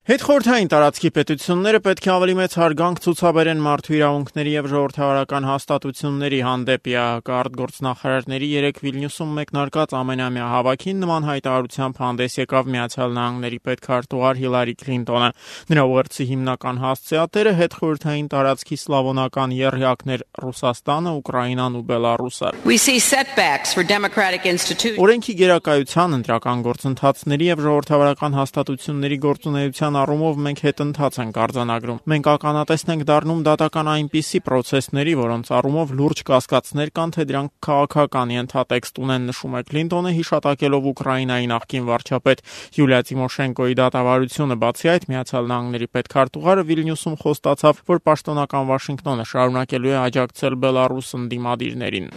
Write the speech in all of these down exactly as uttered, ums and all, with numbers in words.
Հետխորհրդային տարածքի պետությունները պետք է ավելի մեծ հարգանք ցուցաբերեն մարդու իրավունքների և ժողովրդավարական հաստատությունների հանդեպ։ ԵԱՀԿ արտգործնախարարների երեկ Վիլնյուսում մեկնարկած ամենամյա հավաքին նման հայտարարությամբ հանդես եկավ Միացյալ Նահանգների պետքարտուղար Հիլարի Քլինտոնը։ Նրա ուղերձի հիմնական հասցեատերը հետխորհրդային տարածքի սլավոնական եռյակներ Ռուսաստանը, Ուկրաինան ու Բելառուսը։ Օրենքի գերակայության, ընտրական գործընթացների և ժողովրդավարական հաստատությունների գործունեության առումով մենք հետընթաց ենք արձանագրում։ Մենք ականատես ենք դառնում դատական այնպիսի պրոցեսների, որոնց առումով լուրջ կասկածներ կան, թե դրանք քաղաքական ենթատեքստ ունեն, նշում է Քլինտոնը, հիշատակելով Ուկրաինայի նախկին վարչապետ Յուլիա Տիմոշենկոյի դատավարությունը։ Բացի այդ, Միացյալ Նահանգների պետքարտուղարը Վիլնյուսում խոստացավ, որ պաշտոնական Վաշինգտոնը շարունակելու է աջակցել Բելառուս ընդդիմադիրներին։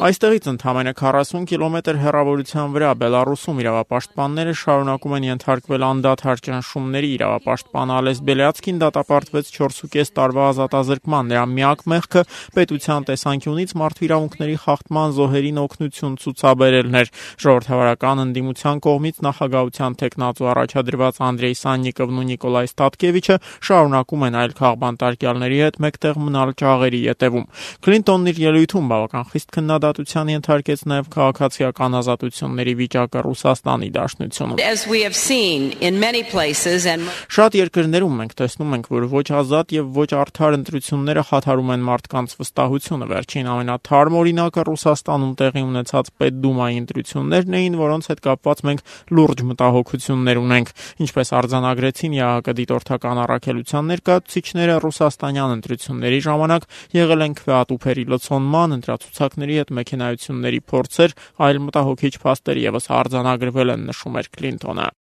Այստեղից ընդամենը քառասուն կիլոմետր հեռավորության վրա Բելառուսում իրավապաշտպանները շարունակում են ենթարկվել անդադար ճնշումների։ Իրավապաշտպան Ալես Բելյացկին դատապարտվեց չորսուկես տարվա ազատազրկման։ Նրա միակ մեղքը պետության տեսանկյունից մարդու իրավունքների խախտման զոհերին օգնություն ցուցաբերելն էր։ Ժողովրդավարական ընդդիմության կողմից նախագահության թեկնածու առաջադրված Անդրեյ Սաննիկովն ու Նիկոլայ Ստատկևիչը շարունակում են այլ քաղբանտարկյալների հետ մեկտեղ մնալ ճաղերի ետևում։ Քլինտոնն իր ելույթում բավական խիստ քննադատության ենթարկեց նաև քաղաքացիական ազատությունների վիճակը Ռուսաստանի Դաշնությունում։ Շատ երկրներում մենք տեսնում ենք, որ ոչ ազատ և ոչ արդար ընտրությունները խաթարում են մարդկանց վստահությունը։ Վերջին ամենաթարմ օրինակը Ռուսաստանում տեղի ունեցած Պետդումայի ընտրություններն էին, որոնց հետ կապված մենք լուրջ մտահոգություններ ունենք։ Ինչպես արձանագրեցին ԵԱՀԿ դիտորդական առաքելության ներկայացուցիչները, ռուսաստանյան ընտրությունների ժամանակ եղել են քվեատուփերի լցոնման, ընտրացուցակների հետ մեքենայությունների փորձեր, այլ մտահոգիչ փաստեր ևս արձանագրվել են, նշում էր Քլինտոնը։